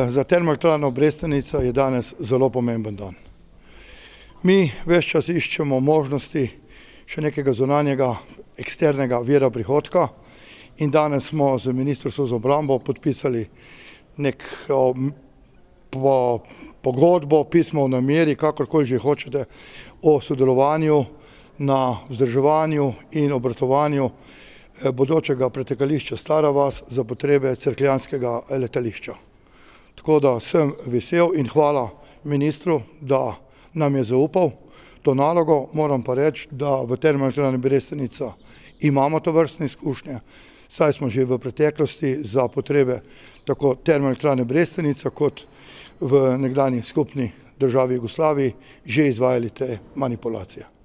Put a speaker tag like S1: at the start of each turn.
S1: Za Termoelektrarno Brestanica je danes zelo pomemben dan. Mi ves čas iščemo možnosti še nekega zunanjega, eksternega vira prihodka in danes smo z Ministrstvom za obrambo podpisali neko pogodbo, pismo o nameri, kakorkoli že hočete, o sodelovanju na vzdrževanju in obratovanju bodočega pretekališča Stara vas za potrebe cerkljanskega letališča. Tako da sem vesel in hvala ministru, da nam je zaupal to nalogo. Moram pa reči, da v Termoelektrarni Brestanica imamo tovrstne izkušnje, saj smo že v preteklosti za potrebe tako Termoelektrarne Brestanica kot v nekdanji skupni državi Jugoslaviji že izvajali te manipulacije.